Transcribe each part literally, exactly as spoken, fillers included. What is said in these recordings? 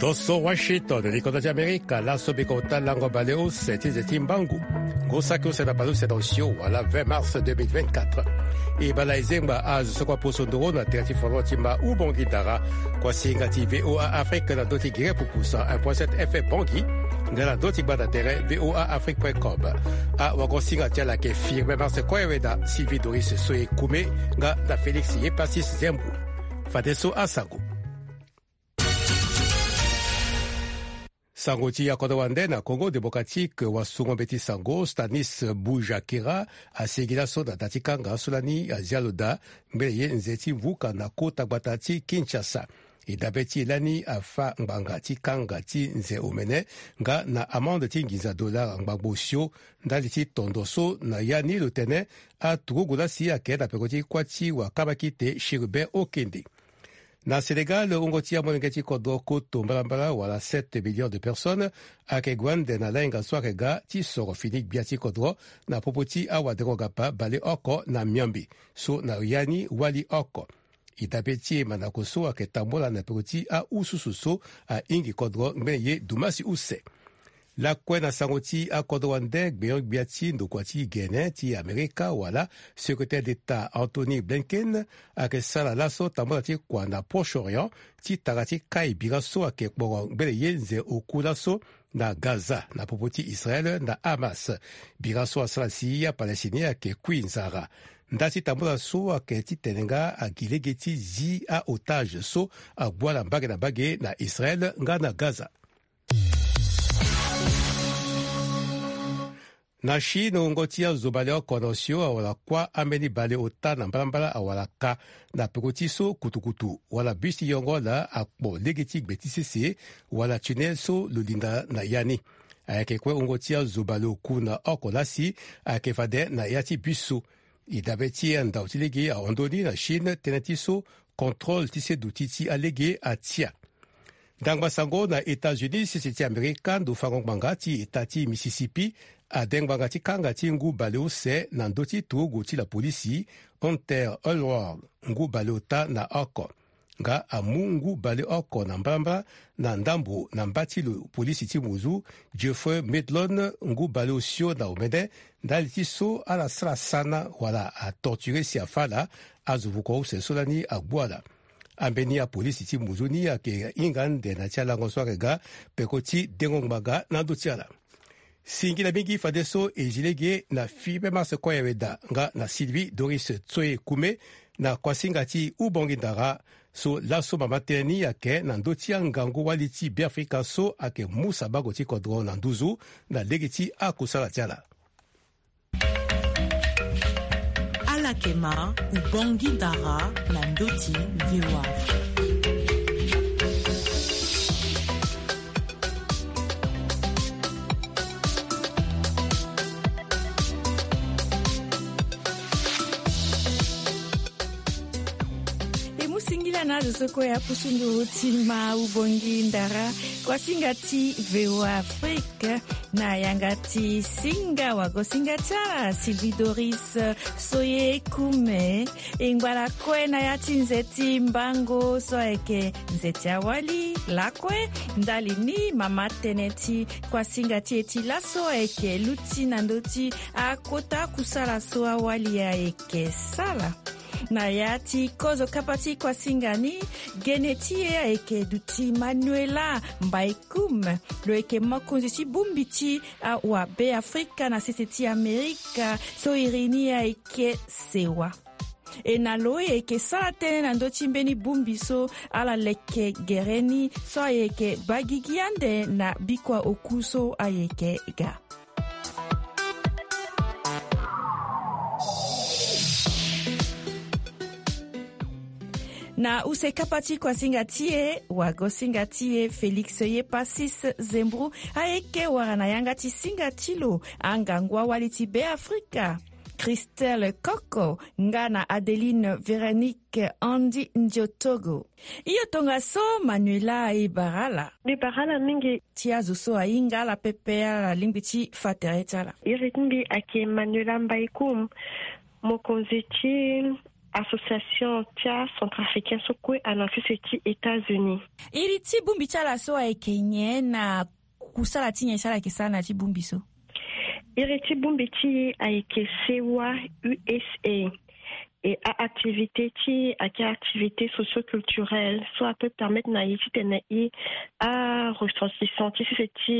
Oso Washington, likonda ti Amerika, laso biko ota lango baleuse ti nze ti mbangu. Ngu saki use na baleuse na osio wala vingt mars deux mille vingt-quatre. E bala e zengba azo so kua poso ndoro na tere ti fondro ti ma Ubongi Dara, kua singa ti V O A Afrique na ndö ti gere pupu cent un point sept F M Bangui, nga na ndö ti gbanda tere V O A Afrique point com. Awagosinga ti ala ayeke Firmin Mars Koyeweda, Sylvie Doris Soye Kume, nga na Félix Yepasis Zembu. Fadeso asango. Sango ti akodro wande na Congo Démocratique, wasungo mbeti sango Stanis Bujakera asigi laso na da ti kanga so lani azia lo daa ngbene ye nze ti vuka na kota gbata ti Kinshasa. E dabe ti e lani afa ngbanga ti kanga ti nze omene nga na amende ti nginza dollar ngbangbo osio, ndali ti tondo so na ya ni lo tene aturugu lasi ayeke na peko ti kuâ ti wakabakite Chérubin Okende. Na Sénégal, wungo ti amolenge ti kodro koto mbalambala wala sept millions de personnes ayeke gue ande na lahinga so ayeke ga ti soro fini gbia ti kodro na popo ti awadengo-gapa baleoko na miombe so na ya ni wali oko. E dabe ti e mandako so ayeke tambula na peko ti aususu so ahingi kodro ngbene ye dumasi use. Lakue na sango ti akodro wande, gbenyo-gbia ti ndokua ti gene ti Amerika wala secrétaire d'État Anthony Blinken ayeke sara laso tambula ti kua na Proche-Orient ti tara ti kai bira so ayeke kporo ngbene ye nze oku laso na Gaza na popo ti Israël na Hamas. Bira so asara si aPalestinien ayeke kui nzara. Nda ti tambula so ayeke titene nga agi lege ti zi aotage so ague ala mbage na mbage na Israël nga na Gaza. Na Chine, wungo ti azo baleoko na osio awara kuâ ambeni baleota na mbalambala awara ka na peko ti so kutukutu wala bus ti yongo ala akpo lege ti gbe ti sese wala tunnel so lo linda na ya ni. Ayeke kue wungo ti azo baleoku na oko lasi ayeke fade na ya ti bus so. E dabe ti e andau ti lege ahon ndö ni na Chine tënë ti so contrôle ti se duti ti alege atia. Ndangba sango na États-Unis, sese ti Amerika, ndo fango ngbanga ti eta ti Mississippi ade ngbanga ti kanga ti ngu baleuse na ndö ti turugu ti lapolisi Hunter Elword, ngu baleota na oko. Nga amu ngu baleoko na mbalambala na ndambo na mba ti lo polisi ti muzu Jeffrey Medlon, ngu baleosio na omene, ndali ti so ala sara sana wala atorture si afa ala, azo vuko use so lani agbu ala. Ambeni apolisi ti muzu ni ayeke hinga ande na ti alango so ayeke ga peko ti dengo ngbanga na ndö ti ala. Singila mingi fadeso e zi lege na Firmin Mars Koyeweda nga na Sylvie Doris Tsoye Kume na kuasinga ti Ubongi Ndara, so laso mama tënë ni ayeke na ndö ti angangu-wali ti Beafrika so ayeke mu sabango ti kodro na nduzu na lege ti akusala ti ala. Ala yeke ma Ubongi Ndara na ndö ti V O A. E mu singila na azo so kue apusu nduru ti ma Ubongi Ndara, kuasinga ti V O A Afrique, na yanga ti singa wagosinga ti ala Sylvie Doris Soye Kume. E ngba lakue na ya ti nze ti mbango so ayeke nze ti awali lakue. Ndali ni mama tënë ti kuasinga ti e ti laso ayeke luti na ndö ti akota kusala so awali ayeke sala. Na ya ti kozo kapa ti kuasinga ni, gene ti e ayeke duti Manuela Mbaikum. Lo yeke mokonzi ti bongbi ti awabe Afrika na sese ti Amerika so iri ni ayeke sewa. E na lo e yeke sara tënë na ndö ti mbeni bongbi so ala leke gere ni so ayeke baa gigi ande na bikua oku so ayeke ga. Na use kapa ti kuasinga ti e, wagosinga ti e Félix Yepasis Zembro ayeke wara na yanga ti singa ti lo angangu awali ti Beafrika, Christelle Koko nga na Adeline Véronique Andy Ndiotogo. Iyo, tongaso Manuela, e bara ala. Mbi bara ala mingi. Ti azo so ahinga ala pepe, ala lingbi ti fa tere ti ala. Iri ti mbi ayeke Manuela Mbaikum, mokonzi ti association ti acentrafricain so kue ana sese ti États-Unis. Iri ti bongbi ti ala so ayeke nyen na kusala ti nyen si ala yeke sara na ya ti bongbi so? Iri ti bongbi ti e ayeke sewa U S A. E a-activité ti e ayeke activité socio-culturelle so apeut permettre na e titene e a-ressortissant ti sese ti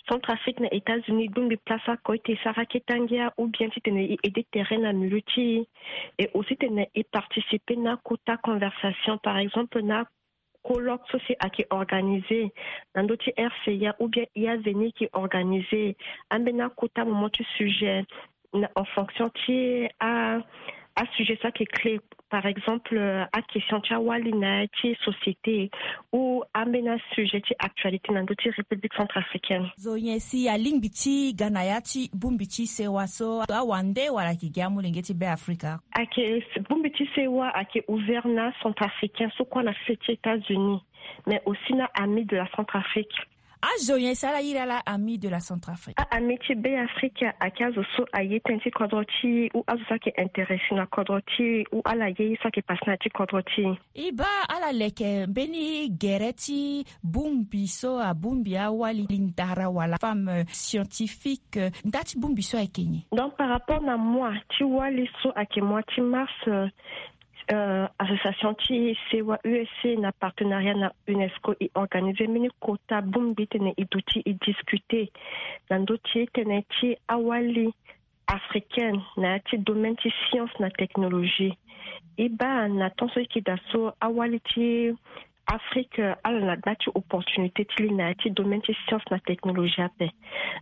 Centrafrique na États-Unis bongbi place oko ete e sara kete ngia ou bien titene e aider tere na milieu ti e. Et aussi titene e participer na akota conversation, par exemple na colloque so si ayeke organisé na ndö ti R C A ou bien I A Zeni ayeke organisé ambeni akota moment ti sujet na en fonction ti a, asujet so ayeke clé, par exemple, euh, aquestion ti awali na ya ti société ou ambeni asujet ti actualité na ndö ti République centrafricaine. Zo nyen si alingbi ti ga na ya ti bongbi ti sewa so, awande wala ayeke gi amolenge ti Beafrika? Ayeke, bongbi ti sewa ayeke ouvert na centrafricain so kue na sese ti États-Unis, mais aussi na Amis de la Centrafrique. Azo nyen si ala iri ala Amis de la Centrafrique? A-Amis ti Beafrika ayeke azo so aye tënë ti kodro ti e ou azo so ayeke intéressé na kodro ti e ou ala ye ye so ayeke passé na ya ti kodro ti e. E baa ala leke mbeni gere ti bongbi so abongbi awali ndara wala femme scientifique, nda ti bongbi so ayeke nyen? Donc par rapport na mois ti wali so ayeke mois ti mars, euh, euh, association ti sewa U S A na partenariat na UNESCO e organisé mbeni kota bongbi titene e duti e discuter na ndö ti tënë ti awali africaine na ya ti domaine ti science na technologie. E baa na temps so e yeke daa so awali ti Afrique, euh, ala na gba ti opportunité ti li na ya ti domaine ti science na technologie ape.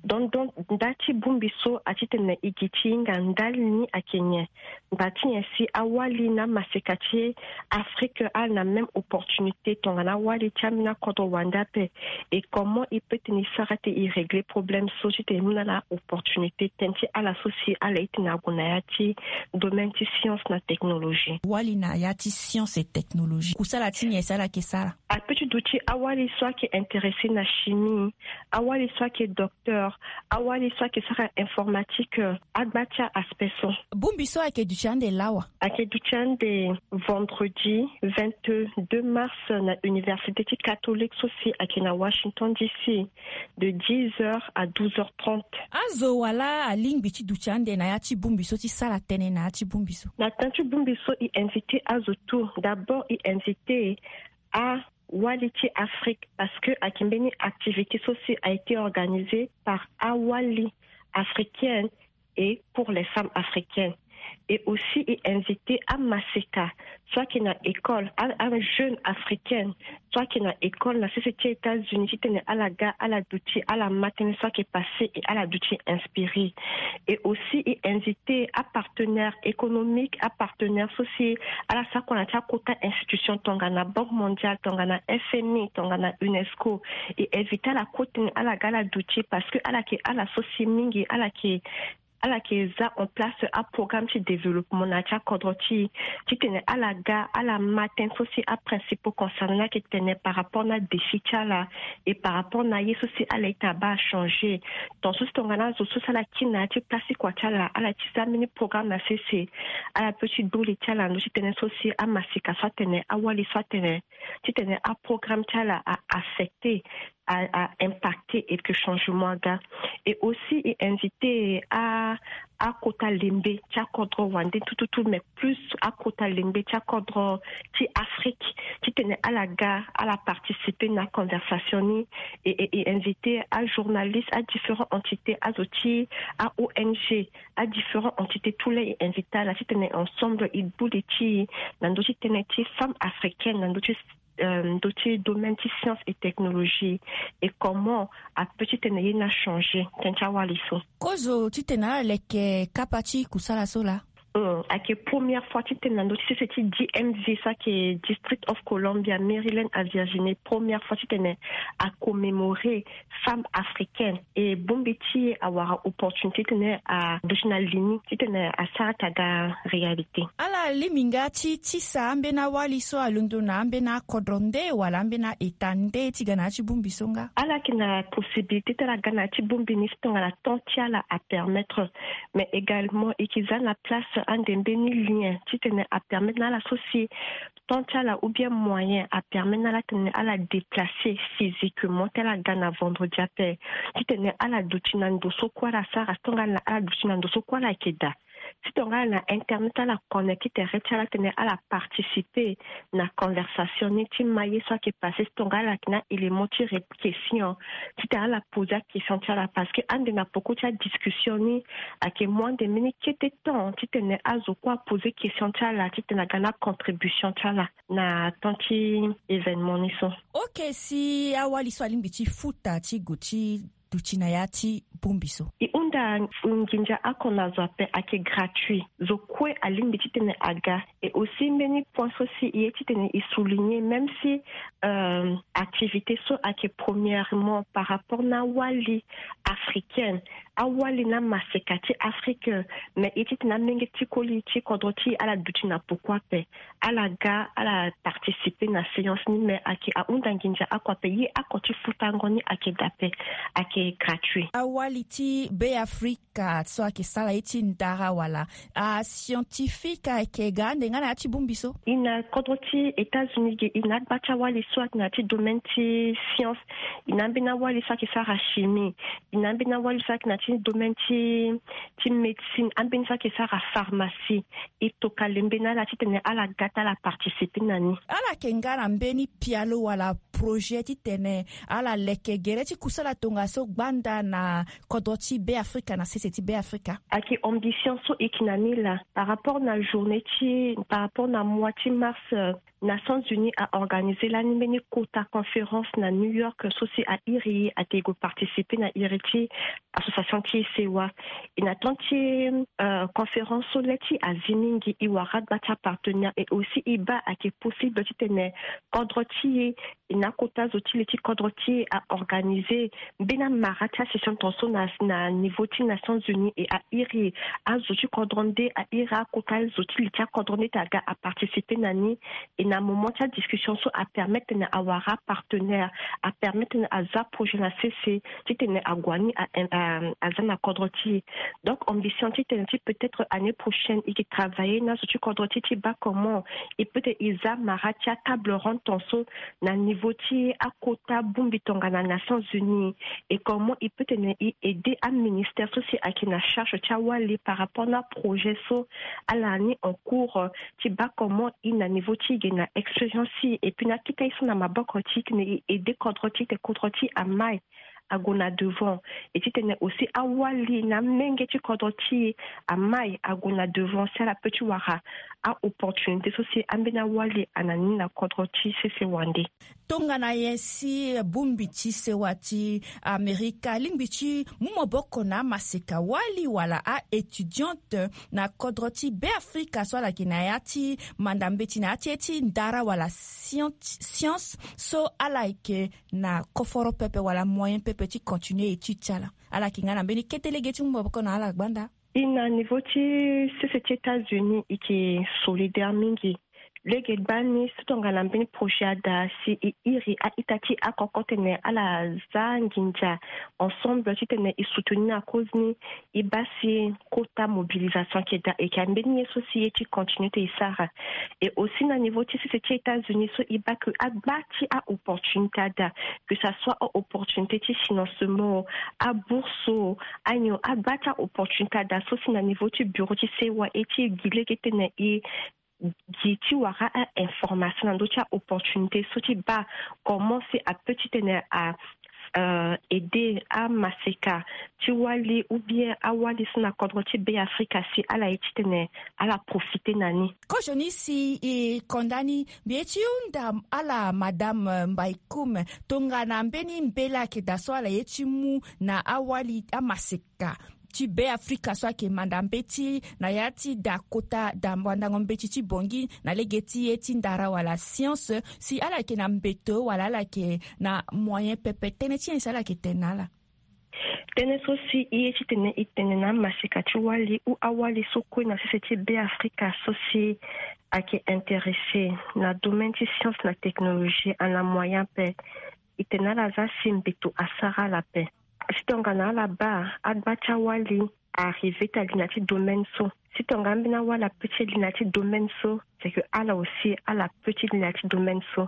Donc, donc nda ti bongbi so atitene e gi ti hinga ndali ni ayeke nyen? Ngba ti nyen si awali na amaseka ti Afrique ala na même opportunité tongana awali ti ambeni akodro wande ape? Et comment e peut titene e sara ti e régler problème so titene e mu na ala opportunité tënë ti ala so si ala ye titene ague na ya ti domaine ti science na technologie? Wali na ya ti science et technologie, kusala ti nyen si ala yeke sara? Apeut ti duti awali so ayeke intéressé na chimie, awali so ayeke docteur, awali so ayeke sara informatique, agba ti a-aspect so. Bongbi so ayeke duti ande lawa? Ayeke duti ande vendredi vingt-deux mars na université ti catholique so si ayeke na Washington D C de dix heures à douze heures trente. Azo wala alingbi ti duti ande na ya ti bongbi so ti sara tënë na ya ti bongbi so? Na temps ti bongbi so e invité azo tout. D'abord e invité awali ti Afrique parce que ayeke mbeni activité so si a été organisé par awali africaine et pour les femmes africaines. Et aussi e invité amaseka so ayeke na école, a, ajeune africaine so ayeke na école na sese ti États-Unis titene ala ga ala duti ala ma tënë so ayeke passé et ala duti inspiré. Et aussi e invité apartenaire économique, apartenaire so si ala sara kua na ya ti akota institution tongana Banque mondiale, tongana F M I, tongana UNESCO. E invité ala kue titene ala ga ala duti parce que ala yeke ala so si mingi ala yeke ala yeke za en place aprogramme ti développement na ya ti akodro ti e titene ala ga ala ma tënë so si aprincipaux concernés ni ayeke tene par rapport na défi ti ala et par rapport na ye so si ala ye titene abaa changé. Tant so si tongana azo so si ala kiri na ya ti place ti kua ti ala, ala ye ti za mbeni programme na sese, ala peut ti du li ti ala na ndö ti tënë so si amaseka so atene, awali so atene titene aprogramme ti ala a affecté, a, a impacté et que changement aga. Et aussi e invité a, akota lembe ti akodro wande tout tout tout, mais plus akota lembe ti akodro ti Afrique titene ala ga ala participer na conversation ni. Et, et, e invité ajournaliste, adifférent entité, azo ti a-O N G, adifférent entité, tout laa e invité ala titene ensemble e du li ti e na ndö ti tënë ti femme africaine na ndö ti euh, ndö ti domaine ti science et technologie, et comment apeut titene ye ni achangé tënë ti awali so. Kozo titene ala leke kapa ti kusala so laa? Hum, ayeke première fois titene na ndö ti sese ti D M V so ayeke District of Columbia, Maryland à Virginie, première fois titene acommémoré femme africaine. E bongbi ti e awara opportunité titene aduti na li ni titene asara ti aga réalité. Ala lingbi nga ti tisa ambeni awali so alondo na ambeni akodro nde wala ambeni a-État nde ti ga na ya ti bongbi so nga? Ala yeke na possibilité ti ala ga na ya ti bongbi ni si tongana temps ti ala apermettre. Mais également e yeke za na place ande mbeni lien titene apermettre na ala so si temps ti ala ou bien moyen apermettre na ala titene ala déplacer physiquement ti ala ga na vendredi ape. Titene ala duti na ndo so kue ala sara, tongana ala duti na ndo so kue ala yeke daa, titene ala na internet ala connecter tere ti ala titene ala participer na conversation ni ti maye so ayeke passer, titene ala yeke na élément ti ré- question, titene ala poser akestion ti ala. Parce que ande na poko ti adiscussion ni ayeke mu ande mbeni kete temps titene azo kue aposer question ti ala titene aga na contribution ti ala na temps ti événement ni so. Ok, si awali so alingbi ti futa ti gue ti duti na ya ti bongbi so? E hunda nginza oko na zo ape, ayeke gratuit. Zo kue alingbi titene aga. Et aussi mbeni point so si e ye titene e souligner, même si euh, activité so ayeke premièrement par rapport na awali africaine, awali na maseka ti Afrique, mais e ye titene amenge ti koli ti kodro ti e ala duti na poko ape, ala ga ala participer na séance ni, mais ayeke ahunda nginza oko ape. Ye oko ti futango ni ayeke daa ape, ayeke gratuit. Awali ti Beafrika so ayeke sara ye ti ndara wala ascientifique ayeke ga ande nga na ya ti bongbi so? E na kodro ti États-Unis ge, e na agba ti awali so ayeke na ya ti domaine ti science, e na ambeni awali so ayeke sara chimie, e na ambeni awali so ayeke na ya ti domaine ti ti médecine, ambeni so ayeke sara pharmacie. E tokua lembe na ala titene ala ga ti ala participer na ni. Ala yeke nga na mbeni pialo wala projet titene ala leke gere ti kusala tongaso gbanda na kodro ti Beafrika, na sese ti Beafrika? Ayeke ambition so e yeke na ni laa par rapport na journée ti, par rapport na mois ti mars, euh, Nations Unies a organiser lani mbeni kota conférence na New York so si a iri atene e gue participer na iri ti association ti sewa. E na temps ti euh, conférence so le ti azi mingi, e wara agba ti apartenaire, et aussi e baa ayeke possible titene kodro ti e, e na akota zo ti le ti kodro ti e a organiser mbeni amara ti asession tongaso na, na niveau ti Nations Unies, et a iri azo ti kodro nde, a iri akota zo ti le ti akodro nde ti aga a participer na ni. Et na moment ti adiscussion so a permettre tene awara apartenaire, a permettre tene aza projet na sese titene ague ni a, a, aza na kodro ti e. Donc ambition titene ti peut-être année prochaine e yeke travailler na zo ti kodro ti e ti baa comment e peut tene e za mara ti atable ronde tongaso na niveau ti akota bongbi tongana Nations Unies, et comment e peut tene e aider aministère so si ayeke na charge ti awali par rapport na projet so ala ni en cours, euh, ti baa comment e na niveau ti e ge na expérience ti e, et puis na akita e so na maboko ti e titene e aider kodro ti e titene kodro ti e amai ague na devant, et titene aussi awali na amenge ti kodro ti e amai ague na devant si ala peut ti wara a-opportunité so si ambeni awali ana ni na kodro ti sese wande. Tongana nyen si bongbi ti sewa ti Amerika alingbi ti mu maboko na amaseka wali wala a-étudiante na kodro ti Beafrika so ala yeke na ya ti manda mbeti na ya ti ye ti ndara wala science, science so ala yeke na koforo pepe wala moyen pepe ti continuer étude ti ala? Ala yeke nga na mbeni kete lege ti mu maboko na ala gbanda? E na niveau ti sese ti États-Unis e yeke solidaire mingi. Lege gbani so tongana mbeni projet ada si e iri a-ita ti akoko tene ala za nginza ensemble titene e soutenir na cause ni, e baa si kota mobilisation ayeke daa, e yeke mbeni ye so si e ye ti continuer ti e sara. Et aussi na niveau ti sese ti États-Unis so e baa que agba ti a-opportunité ada, que ça soit a-opportunité ti financement, abourse, anyo agba ti a-opportunité ada so si na niveau ti bureau ti sewa e ti gi lege titene e gi ti wara a-information na ndö ti a-opportunité so ti baa comment si a peut titene a euh, aider amaseka ti wali ou bien awali so na kodro ti Beafrika si ala ye titene ala profiter na ni. Kozoni si e konda ni, mbi ye ti hunda ala madame, euh, Mbaïkoum, tongana mbeni mbela ayeke daa so ala ye ti mu na awali amaseka ti Beafrika so ayeke manda mbeti na ya ti da kota da wandango mbeti ti Bangui na lege ti ye ti ndara wala science, si ala yeke na mbeto wala ala yeke na moyen pepe, tënë ti nyen si ala yeke tene na ala? Tënë so si e ye titene e tene na amaseka ti wali ou awali so kue na sese ti Beafrika so si ayeke intéressé na domaine ti science na technologie, ana moyen ape. E tene na ala za si mbeto asara ala ape. Si tongana ala baa agba ti awali arrivé ti ali na ti domaine so. Si tonga ambeni awali ape ti ali na ti domaine so, c'est que ala aussi ala ape ti ali na ti domaine so.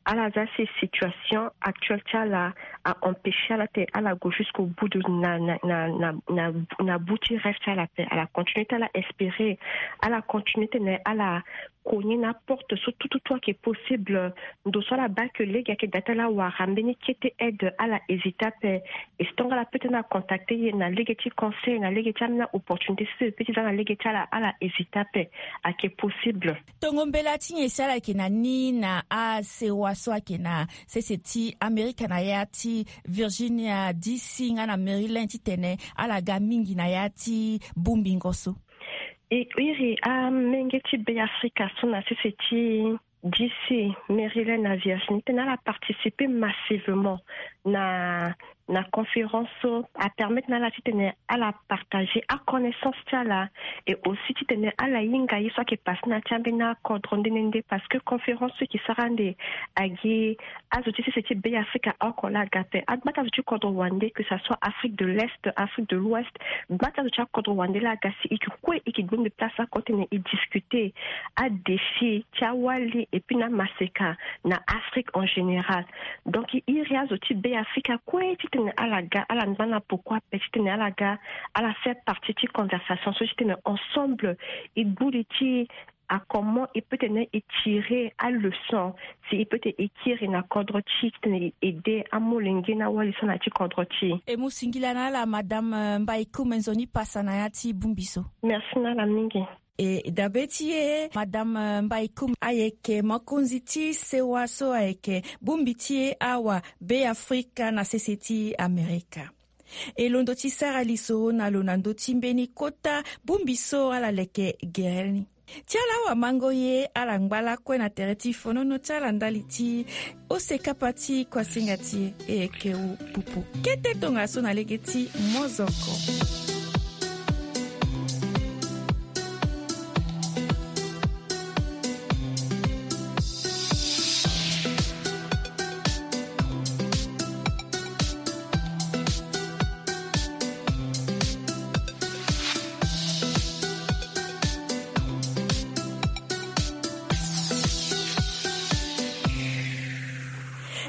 Ala za si situation actuelle ti ala a empêcher ala ti ala go jusqu'au bout de na na na na na na bout ti rêve ti ala ape. Ala continue ti ala espérer, ala continue ti tene ala cogner na porte so tout tout tout ayeke possible. Ndo so ala baa ke lege ayeke daa ti ala wara mbeni kete aide, ala hésiter ape. Et si tonga ala peut ti na contacter ye na lege ti conseil, na lege ti ambeni opportunité so e peut ti za na lege ti ala, ala hésiter ape. Ayeke possible. Tongo mbela ti nyen si ala yeke na ni na asewa so ayeke na sese ti Amerika na ya ti Virginia D C nga na Maryland titene ala ga mingi na ya ti bongbingo so? E iri amenge ti Beafrika so na sese ti D C, Maryland na Virginie titene ala participer massivement na na conférence so, apermettre na ala titene ala partager aconnaissance ti ala. Et aussi titene ala hinga ye so ayeke passe na ya ti ambeni akodro nde nde nde, parce que conférence so e yeke sara ande agi azo ti sese ti Beafrika oko laa aga ape. Agba ti azo ti kodro wande, que ça soit Afrique de l'Est, Afrique de l'Ouest, gba ti azo ti akodro wande laa aga si e yeke kue e yeke gbengbe place oko titene e discuter adéfi ti awali et puis na amaseka na Afrique en général. Donc e iri azo ti Beafrika kue titene ala ga, ala ngba na poko ape titene ala ga, ala faire partie ti conversation so titene ensemble e gbu li ti a comment e peut tene e tirer aleçon, si e peut tene e kiri na kodro ti e titene e aider amolenge na awali so na ya ti kodro ti e. E mu singila na ala madame, euh, Mbaïkoum, nzoni pasa na ya ti bongbi so. Merci na ala mingi. E dabe ti e, madame, euh, Mbaïkoum ayeke mokonzi ti sewa so ayeke bongbi ti e awa Beafrika na sese ti Amerika. E londo ti sara lisoro na lo na ndö ti mbeni kota bongbi so ala leke gere ni. Ti ala awamango ye, ala ngba lakue na tere ti fonono ti ala ndali ti ose kapa ti kuasinga ti e. E yeke wu pupu kete tongaso na lege ti mozoko.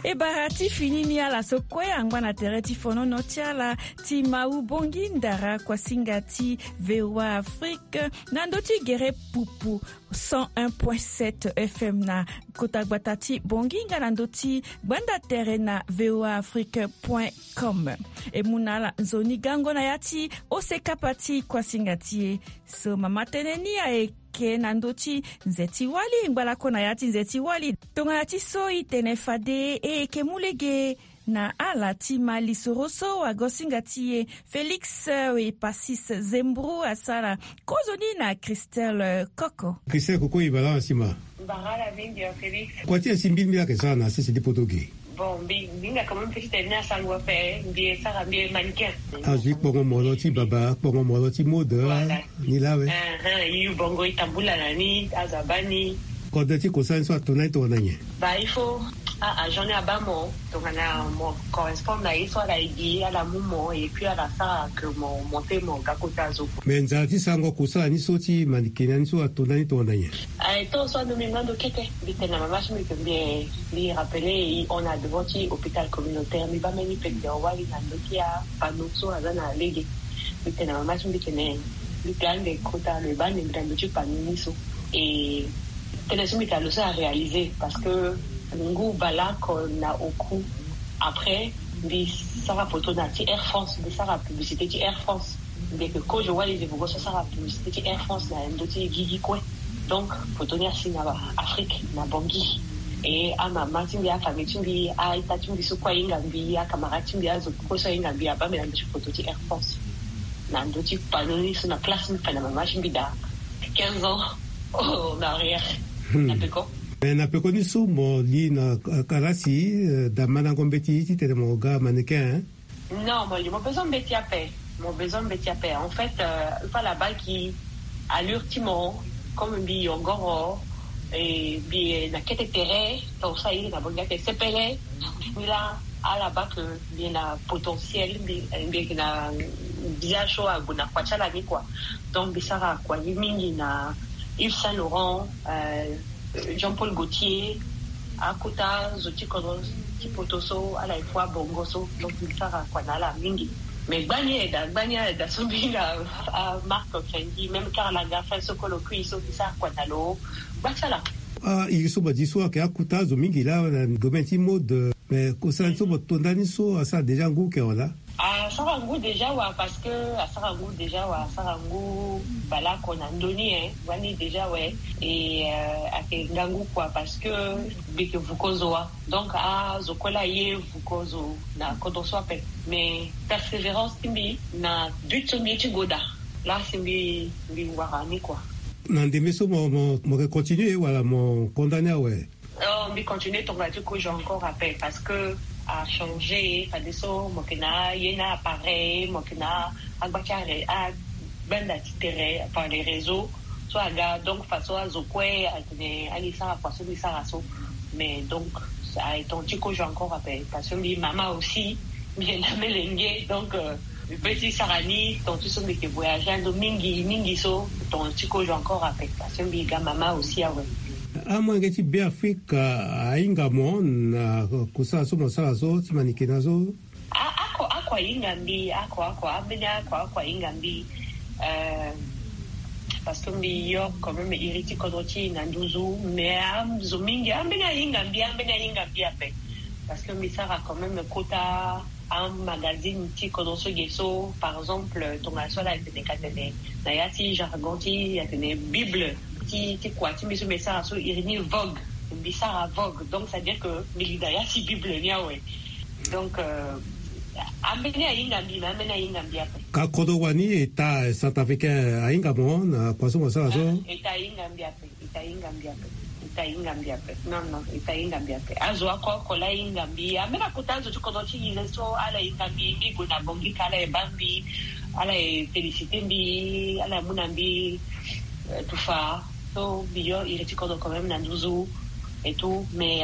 E bara ti fini ni, ala so kue angba na tere ti fonono ti ala ti Mawu Bongi Ndara, kuasinga ti V O A Afrique, na ndö ti gere pupu cent un point sept F M na kota gbata ti Bongi nga na ndö ti gbanda tere na V O A Afrique point com. E mu na ala nzoni gango na ya ti ose kapa ti kuasinga ti e. So mama tënë ni ayeke na ndö ti nze ti wali, ngbalako na ya ti nze ti wali. Tongana ti so e tene fade, e yeke mu lege na ala ti ma lisoro so wagosinga ti e Félix, euh, Epasis Zembro asara kozoni na Christelle, euh, Koko. Christelle Koko, e baa laa si ma. Mbara ala mingi, euh, Félix. Kua ti e si mbi, mbi ayeke sara na sese ti poto ge. Bon, mbi, mbi hinga quand même ti tene ni asango ape, mbi e sara, mbi e mannequin. Azo ti kpongo molo ti baba, kpongo molo ti mode. Voilà. Ni laa awe. Ah, ah, e yu bongo, e tambula na ni, azo abaa ni. Kodro ti kosala ni so ato na ni tongana nyen? Bah, il faut a, agent ni abaa mo, tongana mo correspond na ye so ala ye gi, ala mu mo, et puis ala sara que mo monter mo ga kota zo. Mais nzara ti sango kosala ni so ti mannequin na ni so ato na ni tongana nyen? Aye, tongaso ando mbi ngba ndo kete, mbi tene na mama ti mbi que mbi, mbi rappeler e hon na devant ti hôpital communautaire, mbi baa mbeni pekpeko wali na ndö ti apanneau so aza na lege. Mbi tene na mama ti mbi tene, mbi pe ande kota lo e baa ande mbi na ndö ti panneau ni so. E tënë so mbi tene lo so aréaliser, parce que ngu baleoko na oku. Après mbi sara poto na ti Air France, mbi sara publicité ti Air France. Mbi yeke kozo wali ze vogo so asara publicité ti Air France na ndö ti gigi kue. Donc poto ni asi na Afrique, na Bangui. E amama ti mbi, afamille ti mbi, a-ita ti mbi so kue ahinga mbi, acamarade ti mbi, azo kue so ahinga mbi abaa mbi na ndö ti poto ti Air France, na ndö ti panneau ni so, na place mbi fa na mama ti mbi daa quinze ans en arrière. Hmm. Na peko. Eh, na peko ni so mo li na, eh, kalasi, eh, da mandango mbeti titene mo ga mannequin, hein? Non, mo li, mo besoin mbeti ape. Mo besoin mbeti ape. En fait, euh, il faut la bague qui allure ti mo, comme mbi yongoro, et mbi na kete tere, to sa iri na bongi ake sepele. Mbi laa Ala baa ke mbi na potentiel, mbi mbi yeke na bia so ague na kua ti ala ni kua. Donc mbi sara kua ni mingi na Yves Saint Laurent, Jean Paul Gaultier, akota zo ti kodro ti poto so ala ye fu abongo so. Donc mbi sara kua na ala mingi. Mais gbani aye daa gbani aye daa so mbi na marque fendi même Karl Lagerfeld so kolo kui so mbi sara kua na lo. Gba ti ala. Ah, iri so badi so ayeke akota azo mingi laa na domaine ti mode. Mais kosala ni so mo to ndani so asara déjà ngu ke wala? Asara ngu déjà wa parce que asara ngu déjà wa asara ngu baleoko na ndö ni e wani déjà we. E ayeke ngangu kua parce que mbi yeke vuko zo wa. Donc azo kue laa aye vuko zo na kodro so ape. Mais persévérance ti mbi na but so mbi ye ti go daa. Laa si mbi mbi wara ni kua. Na ndembe so mo mo mo yeke continuer wala mo condamner awe? Oh, mbi continue tonga ti kozo encore ape parce que achangé fadeso mo yeke na ye na appareil mo yeke na agba ti are agbanda ti tere par les réseaux so aga donc façon azo kue atene ali sara kua so mbi sara so. Mais donc aye tonga ti kozo encore ape parce que mbi mama aussi mbi yeke na melenge donc euh, mbi pe ti sara ni tonga ti so mbi yeke voyage ando mingi mingi so tonga ti kozo encore ape parce que mbi ga mama aussi awe. Amolenge ti Beafrika ahinga mo na kosala so mo sara so ti manike na so? Ah, ako ako ahinga mbi ako ako ambeni ako ako ahinga mbi. Euh, parce que mbi yo quand même iri ti kodro ti na nduzu mais azo mingi ambeni ahinga mbi ambeni ahinga mbi ape. Parce que mbi sara quand même kota amagazine ti kodro so ge so par exemple tonga so ala tene ka tene na ya ti jargon ti atene bible ti ti kua ti mbi so mbi sara so iri ni vogue. Mbi sara vogue donc ça dire que mbi li na ya ti bible ni awe. Donc euh, ambeni ahinga mbi na ambeni ahinga mbi ape. Ka kodro wani eta centrafricain ahinga mo na kua so mo sara so? Eta ahinga mbi ape. Eta ahinga mbi ape. Eta ahinga mbi ape. Non non eta ahinga mbi ape azo ako ako la ahinga mbi ambeni akota azo ti kodro ti ngize so ala hinga mbi mbi gue na bongi ka ala ye baa mbi ala ye félicité mbi ala ye mu na mbi. Tufa so mbi yo iri ti kodro quand même na nduzu et tout mais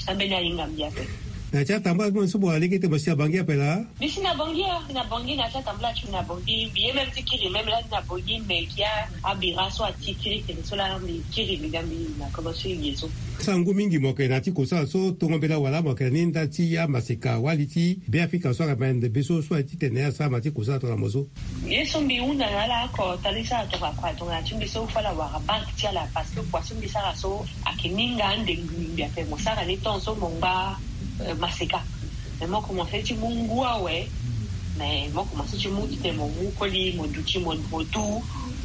ambeni ahinga mbi ape. Na ti atambula ti mo so mo alege te mo si na bangi ape laa? Mbi si na bangi a mbi na bangi na ti atambula ti mbi na bangi mbi ye même ti kiri même laa mbi na bangi mais kia abira so ati kiri tene so laa mbi kiri mbi ga mbi na kobo so e ge so. Sangu mingi mo yeke na ti kosala so tongo mbela wala mo yeke na ni nda ti amaseka wali ti Beafrika so ayeke mende be so so aye titene asara ma ti kosala tongana mo so? Ye so mbi hunda na ala oko tali sara tongana kua tongana ti mbi so fo ala wara banke ti ala parce que kua so mbi sara so ayeke ni nga ande ngbi ngbi ape mo sara ni temps so mo ngba maseka. Mais mo komanse ti mu ngu awe. Mais mo komanse ti mu titene mo mu koli mo duti mo mo du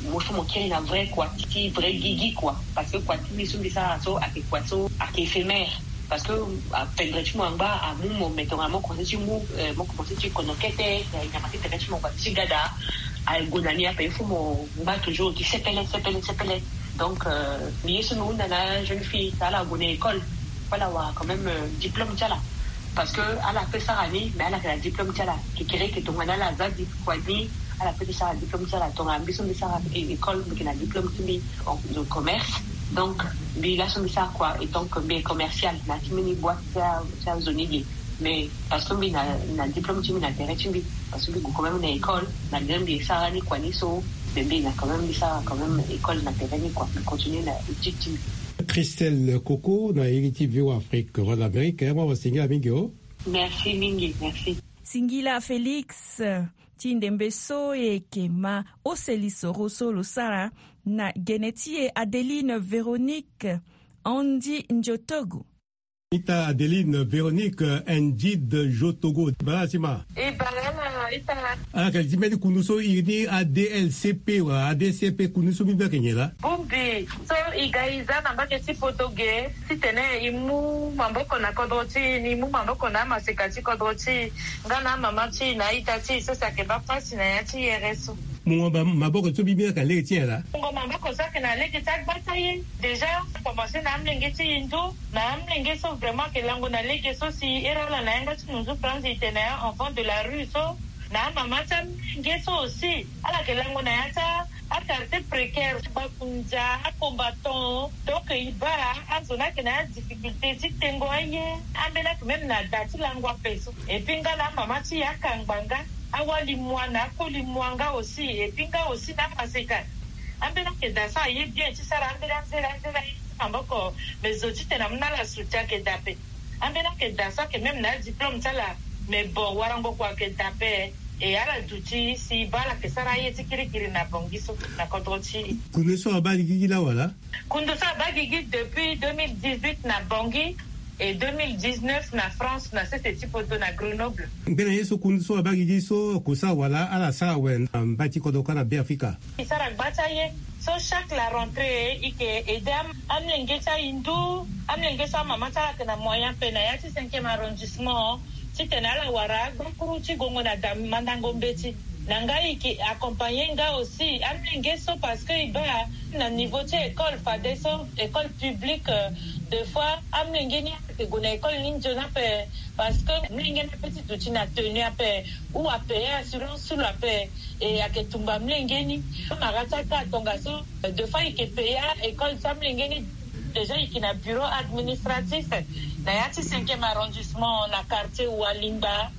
mo so mo kiri na vrai kua ti vrai gigi kua. Parce que kua ti mbi so mbi sara so ayeke kua so ayeke éphémère. Parce que apendre ti mo angba amu mo mais tongana mo komanse ti mu mo komanse ti kono kete nyama ti tere ti mo kua ti gada. Aye gue na ni ape il faut mo ngba toujours ti sepele sepele sepele. Donc mbi ye so mbi hunda na jeune fille ta ala gue na école fo ala wara quand même diplôme ti ala. Parce que ala pe sara ni mais ala yeke na diplôme ti ala kekere yeke tongana ala za di kua ni. Ala pe ti sara diplôme ti ala tongana mbi so mbi sara école mbi yeke na diplôme ti mbi en commerce. Donc mbi laso mbi sara kua et donc mbi est commercial na ti mbeni boite ti azo ni ge. Mais parce que mbi na diplôme ti mbi na tere ti mbi parce que mbi gue quand même na école na bien mbi sara ni kua ni so. Mais mbi na quand même mbi sara quand même école na tere ni kua mbi continue na étude ti mbi. Christelle Coco na iri ti Vivo Afrique Voix d'Amérique. Mo wa singila mingi o. Merci mingi merci. Singila Félix. Ti ndembe so e yeke ma ose lisoro so lo sara na gene ti e Adeline Véronique Andy Ndiotogo. Ita Adeline Véronique Andy Ndiotogo bala si ma. E bala ala ita. Ala yeke li ti mbeni kundu so iri ni A D L C P wala A D C P kundu so mbi mbi ayeke nyen laa? Bongbi so e ga e za na mbage ti poto ge titene e mu maboko na kodro ti e ni e mu maboko na amaseka ti kodro ti e. Nga na amama ti e na aita ti e so si ayeke baa pasi na ya ti yere so. Mungo maboko so mbi mbi ayeke na lege ti nyen laa? Mungo maboko so ayeke na lege ti agba ti aye. Déjà akomanse na amolenge ti e ndo na amolenge so vraiment ayeke lango na lege so si ere ala na yanga ti nunzu franzi e tene a enfant de la rue so. Na amama ti amolenge so aussi ala yeke lango na ya ti ata. Quartier précaire, bakundia, acombattant. Donc e baa azo ni ayeke na adifficulté ti tengo aye. Ambeni ayeke même na da ti lango ape so. Et puis nga na amama ti e akangba nga, awali mua na akoli mua nga aussi. Et puis nga aussi na amaseka, ambeni ayeke da so aye bien ti sara ambeni anzere anzere aye ti maboko. Mais zo titene amu na ala soutien ayeke da ape. Ambeni ayeke da so ayeke même na adiplôme ti ala. Mais bon, warango kua ayeke da ape. E ala duti si e baa ala yeke sara aye ti kirikiri na Bangui so na kodro ti e. Kundu so abaa li gigi laa wala? Kundu so abaa gigi depuis deux mille dix-huit na Bangui, et deux mille dix-neuf na France, na sese ti poto na Grenoble. Mbeni aye so kundu so abaa gigi so akosa wala ala sara awe na mbai ti kodro kâ na Beafrika? E sara gba ti aye. So chaque la rentrée e yeke aide am- amolenge ti ahindu, amolenge so amama ti ala ayeke na moyen ape na ya ti cinquième arrondissement, titene ala wara agbakuru ti gongo na da mandango mbeti. Na nga e yeke accompagner nga aussi amolenge so, parce que e baa na niveau ti école fadeso, école publique, euh, des fois amolenge ni ayeke gue na école ni nzoni ape. Parce que molenge ni ape ti duti na tenue ape, ou apayer assurance so lo ape. E ayeke tumba molenge ni. Amara ti aka tongaso, des fois e yeke payer école ti amolenge ni. Déjà e yeke na bureau administratif na ya ti cinquième arrondissement na quartier Walingba.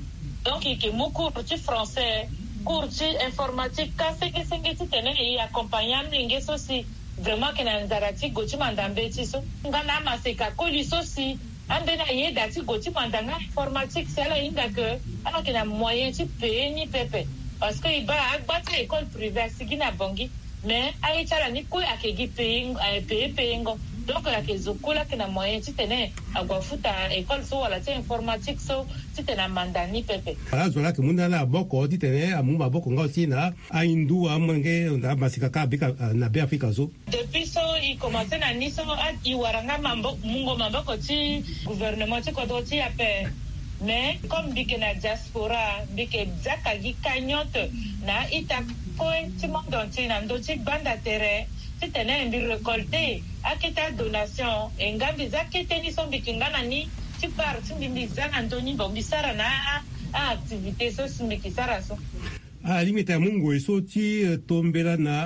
Donc e yeke mu cours ti français, cours ti informatique, ka senge senge titene e accompagner amolenge so si vraiment ayeke na nzara ti gue ti manda mbeti so. Nga na amaseka koli so si ambeni ayeda ti gue ti manda nga informatique si ala hinga ke ala yeke na moyen ti payer ni pepe. Parce que e baa agba ti a-école privé asigi na Bangui. Mais aye ti ala ni kue ayeke gi payer, eh, payer, payer ngo. Donc ayeke zo kue laa ayeke na moyen titene ague afuta école so wala ti informatique so titene amanda ni pepe. Ala zo laa ayeke mu na ala maboko titene amu maboko nga aussi na ahindu, amolenge, amaseka kâ na Beafrika so. Depuis so e commencer na ni so, a- e wara nga mambo- mungo maboko ti gouvernement ti kodro ti e ape. Mais comme mbi yeke na diaspora, mbi yeke zia ka gi cagnotte na a-ita kue ti monde entier na ndö ti gbanda tere titene mbi récolter akete adonation. E nga mbi zia akete ni so mbi yeke nga na ni ti part ti mbi, mbi zia na ndö ni, bon, mbi sara na a- a-activité so si mbi yeke sara so. Alingbi tene amu ngoi so ti, eh, tombela na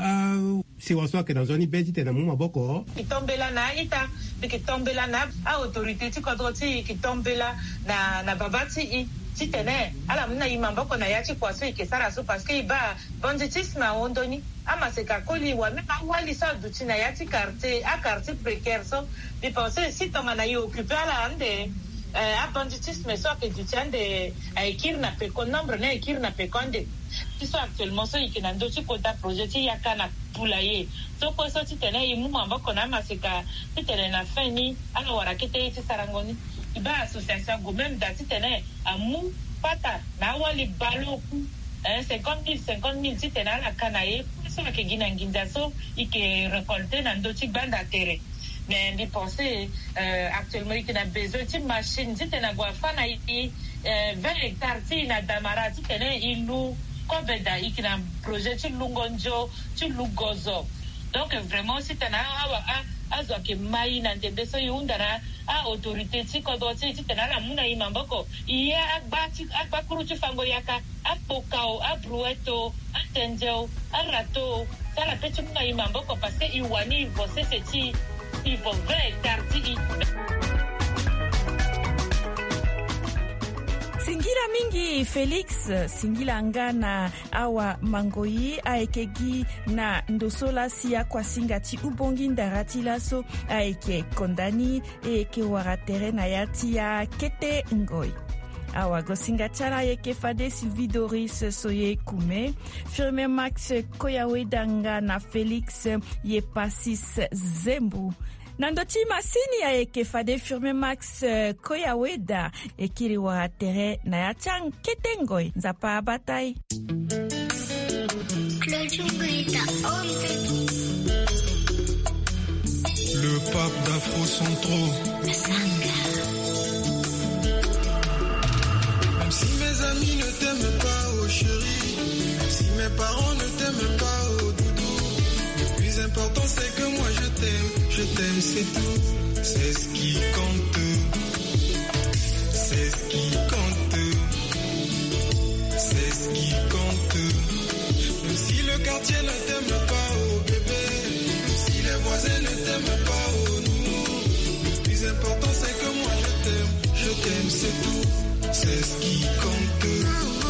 asewa so ayeke na nzoni be titene amu maboko. E tombela na a-ita, e yeke tombela na a-autorité ti kodro ti e, e yeke tombela na, na baba ti e titene ala mu na e maboko na ya ti kua so e yeke sara so, parce que e baa banditisme ahon ndö ni. Amaseka koli wala même awali so aduti na ya ti quartier, a-quartier précaire so. Mbi pense si tongana e occuper ala ande, eh, abanditisme so ayeke duti ande, eh, ayeke kiri na peko, nombre ni ayeke kiri na peko ande. Ti so actuellement so e yeke na ndö ti kota projet ti yaka na poulailler so kue so titene e mu maboko na amaseka titene na fin ni ala wara kete ye ti sarango ni. E baa association ague même da titene amu pata na awali baleoku, eh, cinquante mille, cinquante mille titene ala ka na ye kue so ayeke gi na nginza so e yeke récolter na ndö ti gbanda tere. Mais mbi pense, euh, actuellement e yeke na besoin ti machine titene ague afâ na e, euh, vingt hectares ti e na Damara titene e lu kobe da. E yeke na projet ti lungo nzo, ti lu gozo. Donc vraiment titene a- awa a- azo ayeke ma e na ndembe so e hunda na a-autorité ti kodro ti e titene ala mu na e maboko. E ye agba ti agbakuru ti fango yaka, akpokao, abrouette o, atendze o, arato o, ti ala pe ti mu na e maboko parce que e wani e vo sese ti e, e vo vingt hectares ti e. Singila mingi Félix, singila nga na awa mangoi ayeke gi na ndo so laa si akuasinga ti ubongi ndara ti laso ayeke konda ni, e yeke wara tere na ya ti akete ngoi. Awagosinga ti ala ayeke fade Sylvie Doris Soye Kume, Firmin Max Koyaweda nga na Félix Yepasis Zembu. Na ndo ti masini ayeke fade Firmin Max, eh, Koyaweda. E kiri wara tere na ya ti akete ngoi. Nzapa abata e. Le pape d'Afro Centro. Même si mes amis ne t'aiment pas, oh chérie, même si mes parents ne t'aiment pas, oh doudou, le plus important c'est que moi je t'aime, je t'aime, c'est tout. C'est ce qui compte. C'est ce qui compte. C'est ce qui compte. Même si le quartier ne t'aime pas, oh Plus important, c'est que moi, je t'aime, je t'aime, c'est tout, c'est ce qui compte.